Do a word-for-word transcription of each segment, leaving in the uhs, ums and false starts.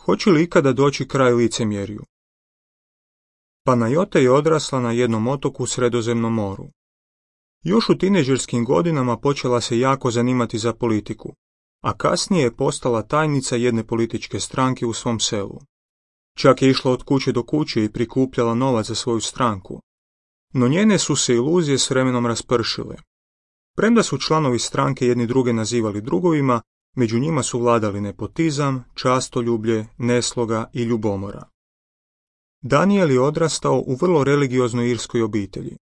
Hoće li ikada doći kraj licemjerju? Panajota je odrasla na jednom otoku u Sredozemnom moru. Još u tinejdžerskim godinama počela se jako zanimati za politiku, a kasnije je postala tajnica jedne političke stranke u svom selu. Čak je išla od kuće do kuće i prikupljala novac za svoju stranku. No njene su se iluzije s vremenom raspršile. Premda su članovi stranke jedni druge nazivali drugovima, među njima su vladali nepotizam, častoljublje, nesloga i ljubomora. Daniel je odrastao u vrlo religioznoj irskoj obitelji.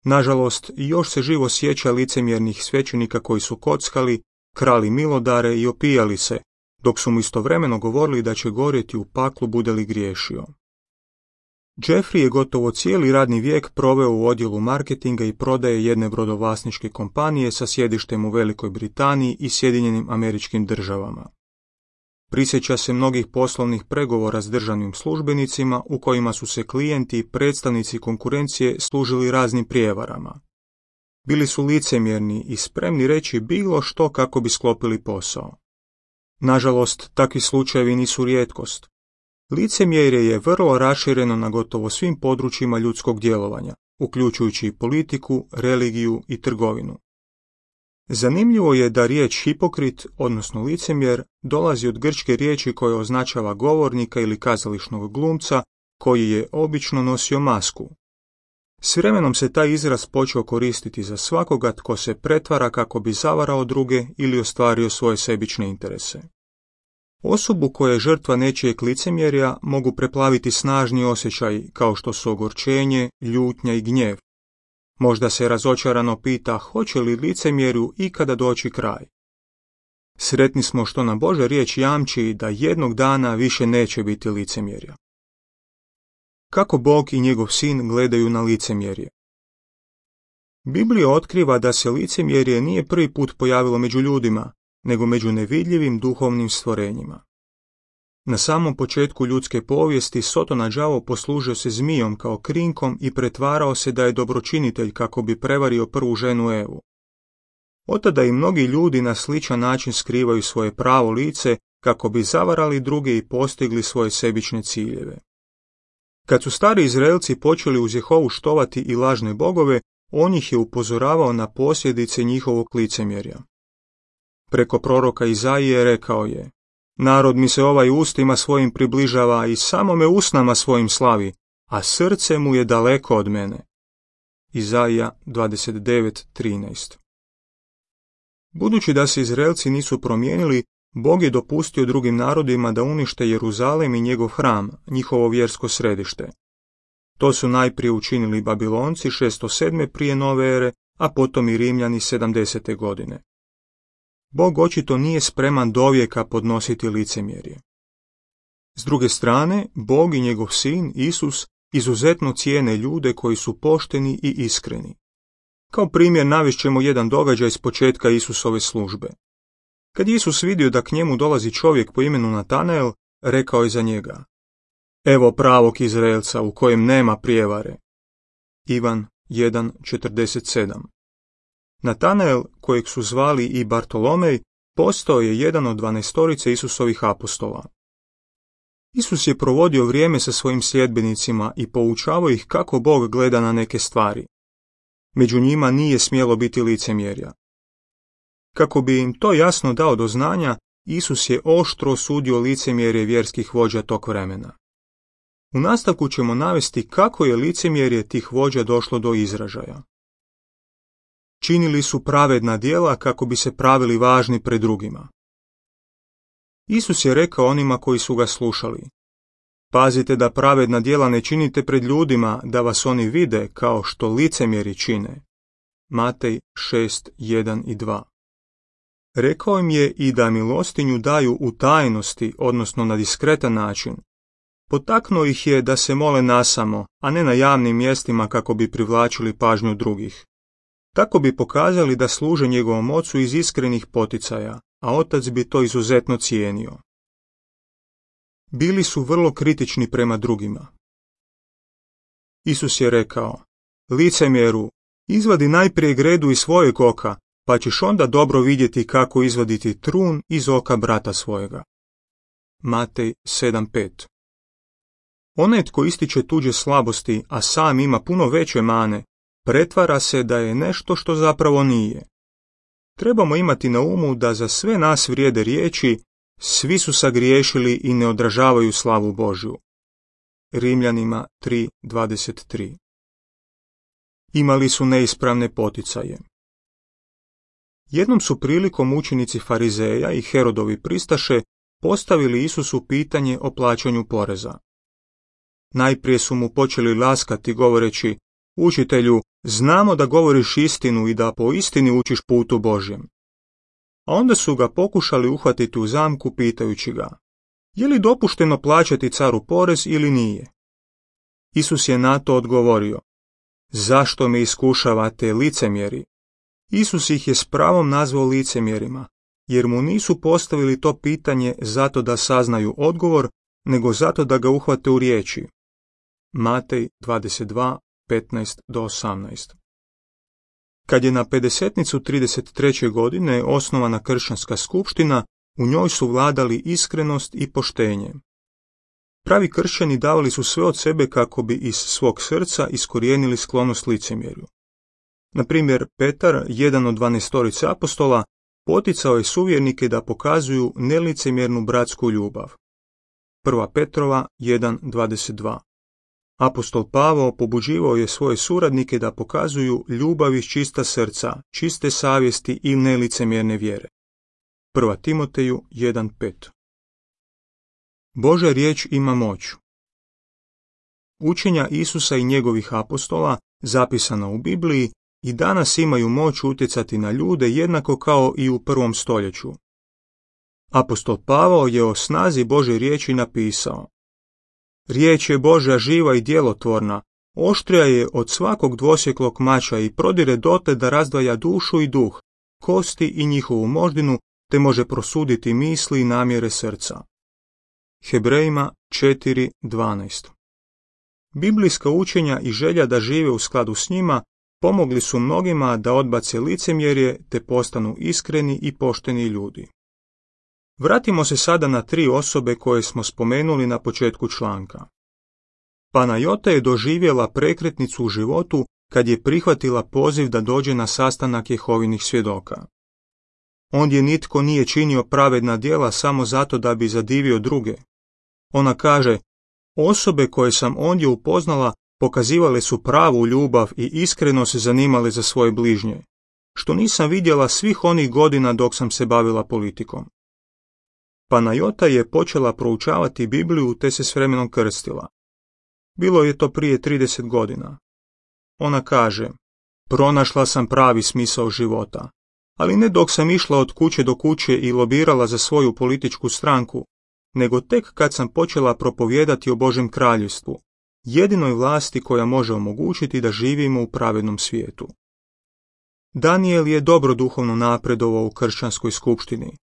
Nažalost, još se živo sjeća licemjernih svećenika koji su kockali, krali milodare i opijali se, dok su mu istovremeno govorili da će gorjeti u paklu bude li griješio. Jeffrey je gotovo cijeli radni vijek proveo u odjelu marketinga i prodaje jedne brodovlasničke kompanije sa sjedištem u Velikoj Britaniji i Sjedinjenim Američkim Državama. Prisjeća se mnogih poslovnih pregovora s državnim službenicima u kojima su se klijenti i predstavnici konkurencije služili raznim prijevarama. Bili su licemjerni i spremni reći bilo što kako bi sklopili posao. Nažalost, takvi slučajevi nisu rijetkost. Licemjerje je vrlo rašireno na gotovo svim područjima ljudskog djelovanja, uključujući i politiku, religiju i trgovinu. Zanimljivo je da riječ hipokrit, odnosno licemjer, dolazi od grčke riječi koja označava govornika ili kazališnog glumca koji je obično nosio masku. S vremenom se taj izraz počeo koristiti za svakoga tko se pretvara kako bi zavarao druge ili ostvario svoje sebične interese. Osobu koja je žrtva nečijeg licemjerja mogu preplaviti snažni osjećaji kao što su ogorčenje, ljutnja i gnjev. Možda se razočarano pita hoće li licemjerju ikada doći kraj. Sretni smo što nam Božja riječ jamči da jednog dana više neće biti licemjerja. Kako Bog i njegov sin gledaju na licemjerje? Biblija otkriva da se licemjerje nije prvi put pojavilo među ljudima, nego među nevidljivim duhovnim stvorenjima. Na samom početku ljudske povijesti Sotona đavo poslužio se zmijom kao krinkom i pretvarao se da je dobročinitelj kako bi prevario prvu ženu Evu. Otada i mnogi ljudi na sličan način skrivaju svoje pravo lice kako bi zavarali druge i postigli svoje sebične ciljeve. Kad su stari Izraelci počeli uz Jehovu štovati i lažne bogove, on ih je upozoravao na posljedice njihovog licemjerja. Preko proroka Izaije rekao je: narod mi se ovaj ustima svojim približava i samo me usnama svojim slavi, a srce mu je daleko od mene. Izaija dvadeset devet trinaest. Budući da se Izraelci nisu promijenili, Bog je dopustio drugim narodima da unište Jeruzalem i njegov hram, njihovo vjersko središte. To su najprije učinili Babilonci šesto sedme prije nove ere, a potom i Rimljani sedamdesete godine. Bog očito nije spreman dovijeka podnositi licemjerje. S druge strane, Bog i njegov sin, Isus, izuzetno cijene ljude koji su pošteni i iskreni. Kao primjer navest ćemo jedan događaj s početka Isusove službe. Kad Isus vidio da k njemu dolazi čovjek po imenu Natanael, rekao je za njega: evo pravog Izraelca u kojem nema prijevare. Ivan jedan četrdeset sedam. Natanael, kojeg su zvali i Bartolomej, postao je jedan od dvanaestorice Isusovih apostola. Isus je provodio vrijeme sa svojim sljedbenicima i poučavao ih kako Bog gleda na neke stvari. Među njima nije smjelo biti licemjerja. Kako bi im to jasno dao do znanja, Isus je oštro osudio licemjerje vjerskih vođa tog vremena. U nastavku ćemo navesti kako je licemjerje tih vođa došlo do izražaja. Činili su pravedna djela kako bi se pravili važni pred drugima. Isus je rekao onima koji su ga slušali: pazite da pravedna djela ne činite pred ljudima, da vas oni vide kao što licemjeri čine. Matej šest jedan i dva. Rekao im je i da milostinju daju u tajnosti, odnosno na diskretan način. Potaknuo ih je da se mole nasamo, a ne na javnim mjestima kako bi privlačili pažnju drugih. Tako bi pokazali da služe njegovom ocu iz iskrenih poticaja, a otac bi to izuzetno cijenio. Bili su vrlo kritični prema drugima. Isus je rekao: licemjeru, izvadi najprije gredu iz svojeg oka, pa ćeš onda dobro vidjeti kako izvaditi trun iz oka brata svojega. Matej sedam pet. Onaj tko ističe tuđe slabosti, a sam ima puno veće mane, pretvara se da je nešto što zapravo nije. Trebamo imati na umu da za sve nas vrijede riječi: svi su sagriješili i ne odražavaju slavu Božju. Rimljanima tri dvadeset tri. Imali su neispravne poticaje. Jednom su prilikom učenici Farizeja i Herodovi pristaše postavili Isusu pitanje o plaćanju poreza. Najprije su mu počeli laskati govoreći: učitelju, znamo da govoriš istinu i da po istini učiš putu Božjem. A onda su ga pokušali uhvatiti u zamku pitajući ga: je li dopušteno plaćati caru porez ili nije? Isus je na to odgovorio: zašto me iskušavate, licemjeri? Isus ih je s pravom nazvao licemjerima, jer mu nisu postavili to pitanje zato da saznaju odgovor, nego zato da ga uhvate u riječi. Matej dvadeset dva petnaest do osamnaest. Kad je na pedesetnicu trideset treće godine osnovana kršćanska skupština, u njoj su vladali iskrenost i poštenje. Pravi kršćani davali su sve od sebe kako bi iz svog srca iskorijenili sklonost licemjerju. Na primjer, Petar, jedan od dvanaestorice apostola, poticao je suvjernike da pokazuju nelicemjernu bratsku ljubav. Prva Petrova jedan dvadeset dva. Apostol Pavao pobuđivao je svoje suradnike da pokazuju ljubav iz čista srca, čiste savjesti i nelicemjerne vjere. Prva Timoteju jedan pet. Božja riječ ima moć. Učenja Isusa i njegovih apostola, zapisana u Bibliji, i danas imaju moć utjecati na ljude jednako kao i u prvom stoljeću. Apostol Pavao je o snazi Božje riječi napisao: riječ je Božja živa i djelotvorna, oštrija je od svakog dvosjeklog mača i prodire dotle da razdvaja dušu i duh, kosti i njihovu moždinu, te može prosuditi misli i namjere srca. Hebrejima četiri dvanaest. Biblijska učenja i želja da žive u skladu s njima pomogli su mnogima da odbace licemjerje te postanu iskreni i pošteni ljudi. Vratimo se sada na tri osobe koje smo spomenuli na početku članka. Panajota je doživjela prekretnicu u životu kad je prihvatila poziv da dođe na sastanak Jehovinih svjedoka. Ondje nitko nije činio pravedna djela samo zato da bi zadivio druge. Ona kaže: osobe koje sam ondje upoznala pokazivale su pravu ljubav i iskreno se zanimale za svoje bližnje, što nisam vidjela svih onih godina dok sam se bavila politikom. Panajota je počela proučavati Bibliju te se s vremenom krstila. Bilo je to prije trideset godina. Ona kaže: pronašla sam pravi smisao života, ali ne dok sam išla od kuće do kuće i lobirala za svoju političku stranku, nego tek kad sam počela propovijedati o Božjem kraljevstvu, jedinoj vlasti koja može omogućiti da živimo u pravednom svijetu. Daniel je dobro duhovno napredovao u kršćanskoj skupštini,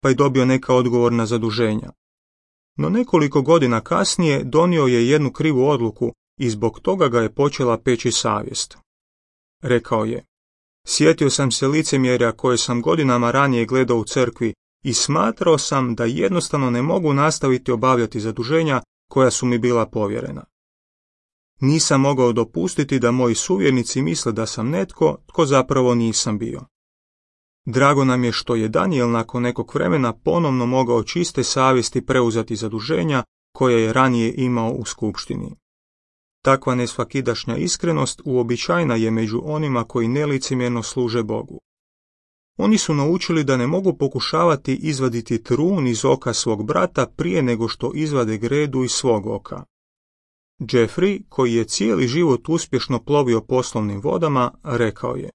pa je dobio neka odgovorna zaduženja. No nekoliko godina kasnije donio je jednu krivu odluku i zbog toga ga je počela peći savjest. Rekao je: sjetio sam se licemjerja koje sam godinama ranije gledao u crkvi i smatrao sam da jednostavno ne mogu nastaviti obavljati zaduženja koja su mi bila povjerena. Nisam mogao dopustiti da moji suvjernici misle da sam netko tko zapravo nisam bio. Drago nam je što je Daniel nakon nekog vremena ponovno mogao čiste savjesti preuzeti zaduženja koje je ranije imao u skupštini. Takva nesvakidašnja iskrenost uobičajena je među onima koji nelicemjerno služe Bogu. Oni su naučili da ne mogu pokušavati izvaditi trun iz oka svog brata prije nego što izvade gredu iz svog oka. Jeffrey, koji je cijeli život uspješno plovio poslovnim vodama, rekao je: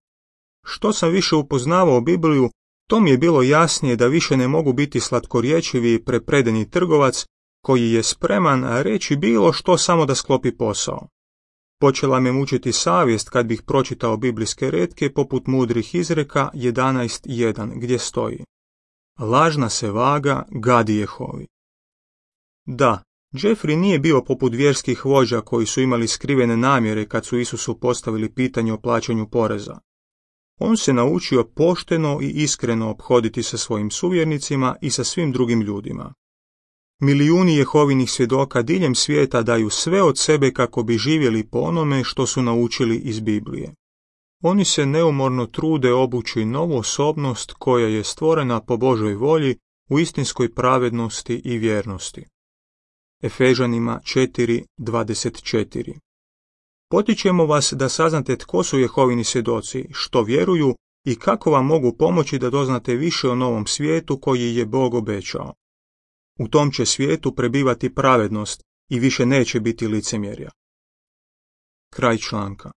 što sam više upoznavao Bibliju, to mi je bilo jasnije da više ne mogu biti slatkorječivi i prepredeni trgovac koji je spreman reći bilo što samo da sklopi posao. Počela me mučiti savjest kad bih pročitao biblijske retke poput mudrih izreka jedanaest jedan gdje stoji: lažna se vaga gadi Jehovi. Da, Jeffrey nije bio poput vjerskih vođa koji su imali skrivene namjere kad su Isusu postavili pitanje o plaćanju poreza. On se naučio pošteno i iskreno ophoditi sa svojim suvjernicima i sa svim drugim ljudima. Milijuni Jehovinih svjedoka diljem svijeta daju sve od sebe kako bi živjeli po onome što su naučili iz Biblije. Oni se neumorno trude obući novu osobnost koja je stvorena po Božoj volji u istinskoj pravednosti i vjernosti. Efežanima četiri dvadeset četiri. Potičemo vas da saznate tko su Jehovini svjedoci, što vjeruju i kako vam mogu pomoći da doznate više o novom svijetu koji je Bog obećao. U tom će svijetu prebivati pravednost i više neće biti licemjerja. Kraj članka.